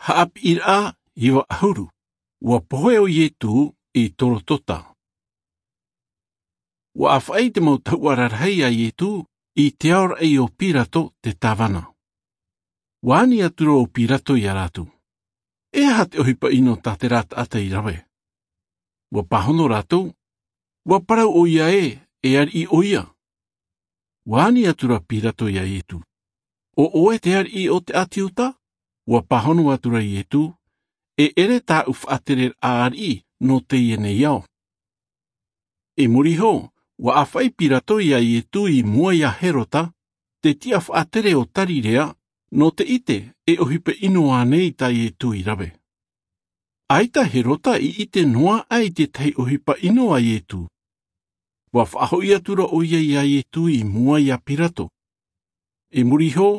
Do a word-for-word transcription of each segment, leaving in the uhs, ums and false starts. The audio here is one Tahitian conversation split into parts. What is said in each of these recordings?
Haʻapiʻiraʻa iva ʻahuru. Ua pohe ʻo Ietu i Torotota. Ua ʻāfaʻi te mau tahuʻa rarahi iā Ietu i te aoraʻi o Pirato te tāvana. Ua ani atu ra ʻo Pirato iā rātou, E aha te ʻohipa ʻino tā terā taʻata i rave? Ua pāhono rātou, Ua parau ʻoia ē, e ariʻi ʻoia. Ua ani atu ra Pirato iā Ietu, O ʻoe te ariʻi o te ʻāti Iuta? Ua pāhono atu ra Ietu, E ʻere tāʻu faʻatereraʻa ariʻi nō teie nei ao. I muri iho, ua ʻāfaʻi Pirato iā Ietu i mua iā Herota, te tiʻa faʻatere o Tarirea, nō te ʻite e ʻohipa ʻino ānei tā Ietu i rave. ʻAita Herota i ʻite noa aʻe i te tahi ʻohipa ʻino a Ietu. Ua faʻahoʻi atu ra ʻoia iā Ietu i mua iā Pirato. I muri iho,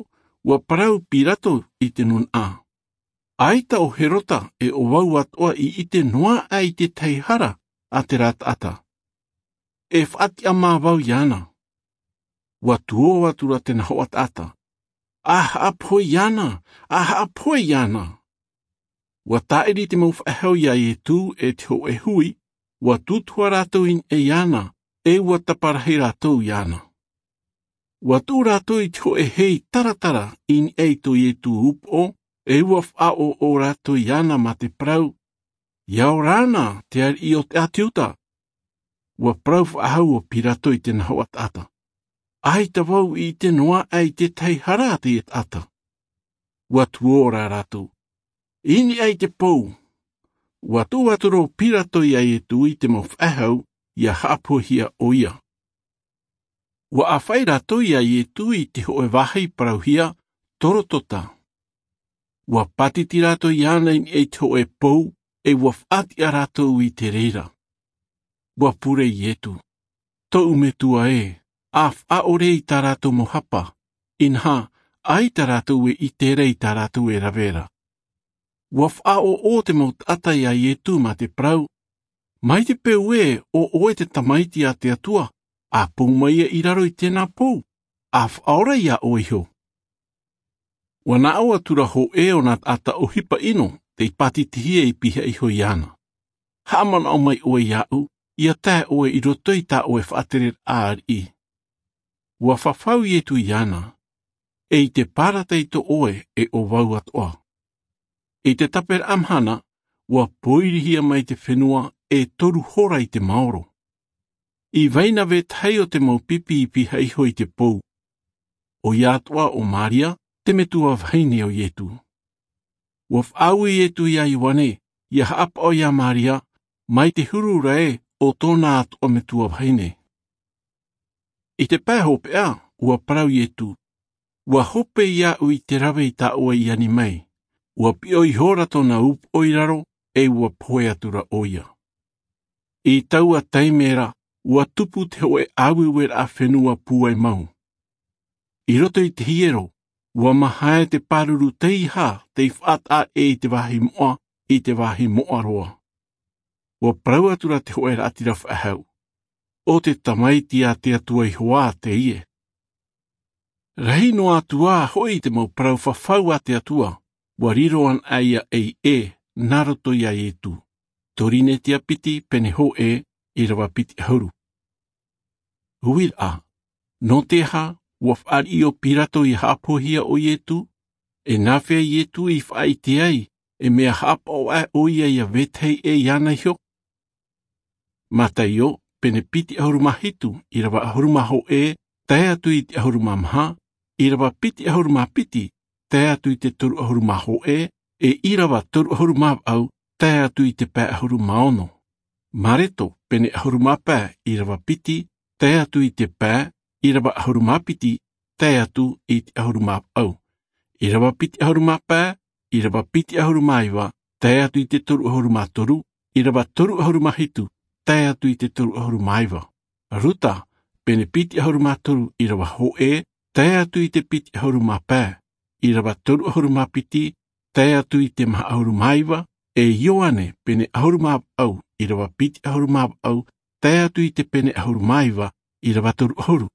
ua parau Pirato i te nūnaʻa, ʻAita ʻo Herota e ʻo vau atoʻa i ʻite noa aʻe i te tahi hara a terā taʻata. E faʻatiʻa mā vau iāna. Ua tuō atu ra tēnā hoʻa taʻata, A haʻapohe iāna! A haʻapohe iāna! Ua tāʻiri te mau faʻehau iā Ietu e te hōʻē hui, ua tūtuha rātou i niʻa iāna, e ua taparahi rātou iāna. Ua tuʻu rātou i te hōʻē hei taratara i niʻa i tō Ietu upoʻo, e ua faʻaʻoʻo rātou iāna mā te parau, ʻIa ora na, te ariʻi o te ʻāti Iuta! Ua parau faʻahou ʻo Pirato i tēnā hoʻa taʻata, ʻAita vau i ʻite noa aʻe i te tahi hara a teie taʻata. Ua tuō ra rātou i niʻa i te pou. Ua tuʻu atu ra ʻo Pirato iā Ietu i te mau faʻehau, ʻia haʻapohehia ʻoia. Ua ʻāfaʻi rātou iā Ietu i te hōʻē vāhi parauhia Torotota. Ua pātiti rātou iāna i niʻa i te hōʻē pou, e ua faʻatiʻa rātou i te reira. Ua pure Ietu, Tōʻu Metua ē, ʻa faʻaʻore i tā rātou mau hapa, inaha, ʻaita rātou e ʻite ra i tā rātou e rave ra. Ua faʻaʻoʻo te mau taʻata iā Ietu mā te parau, Mai te peu ē ʻo ʻoe te Tamaiti a te Atua, ʻa pou mai ia i raro i tēnā pou, ʻa faʻaora iā ʻoe iho. Ua naʻo atu ra hōʻē o nā taʻata ʻohipa ʻino tei pātitihia i pihaʻi iho iāna, Haʻamanaʻo mai ʻoe iāʻu, ʻia tae ʻoe i roto i tā ʻoe faʻatereraʻa ariʻi. Ua fafau Ietu iāna, E i te parataito ʻoe e ʻo vau atoʻa. I te taperaʻa mahana, ua pōirihia mai te fenua e toru hora i te maoro. I vai na vetahi o te mau pipi i pihaʻi iho i te pou. ʻOia atoʻa ʻo Maria, te metua vahine o Ietu. Ua faʻaue Ietu iā Ioane, ʻia haʻapaʻo iā Maria, mai te huru ra ē ʻo tōna atoʻa metua vahine. I te pae hopeʻa, ua parau Ietu, Ua hope iāʻu i te rave i tā ʻoe i ani mai. Ua piʻo ihora tōna upoʻo i raro, e ua pohe atu ra ʻoia. I taua taime ra, ua tupu te hōʻē ʻāueueraʻa fenua pūai mau. I roto i te hiero, ua mahae te pāruru teiaha tei faʻataʻa ʻē i te vāhi moʻa, i te vāhi moʻa roa. Ua parau atu ra te hōʻē raʻatira faʻehau, ʻO te Tamaiti a te Atua Ihoā teie. Rahi noa atu ā hoʻi te mau parau fafau a te Atua, ua riro anaʻe ia ei ʻē, nā roto iā Ietu. Torinetia piti, pene hōʻē, ʻīrava piti ʻahuru. Uiraʻa, nō te aha ua fāriʻi ʻo Pirato ʻia haʻapohehia ʻo Ietu? E nāfea Ietu i faʻaʻite ai, e mea haʻapaʻo aʻe ʻoia ia vetahi ʻē iāna iho? Mataio, pene piti ʻahuru mā hitu, ʻīrava ʻahuru mā hōʻē, tae atu i te ʻahuru mā maha, ʻīrava piti ʻahuru mā piti, tae atu i te toru ʻahuru mā hōʻē, e ʻīrava toru ʻahuru mā vaʻu, tae atu i te pae ʻahuru mā ono. Mareto, pene ʻahuru mā pae, ʻīrava piti, tae atu i te pae, ʻīrava ʻahuru mā piti, tae atu i te ʻahuru mā vaʻu. ʻĪrava piti ʻahuru mā pae, ʻīrava piti ʻahuru mā iva, tae atu i te toru ʻahuru mā toru, ʻīrava toru ʻahuru mā hitu, tae atu i te toru ʻahuru mā iva. Ruta, pene piti ʻahuru mā toru, ʻīrava hōʻē, tae atu i te piti ʻahuru mā pae, ʻīrava toru ʻahuru mā piti, tae atu i te maha ʻahuru mā iva, e Ioane, pene ʻahuru mā vaʻu, ʻīrava piti ʻahuru mā vaʻu, tae atu i te pene ʻahuru mā iva, ʻīrava toru ʻahuru.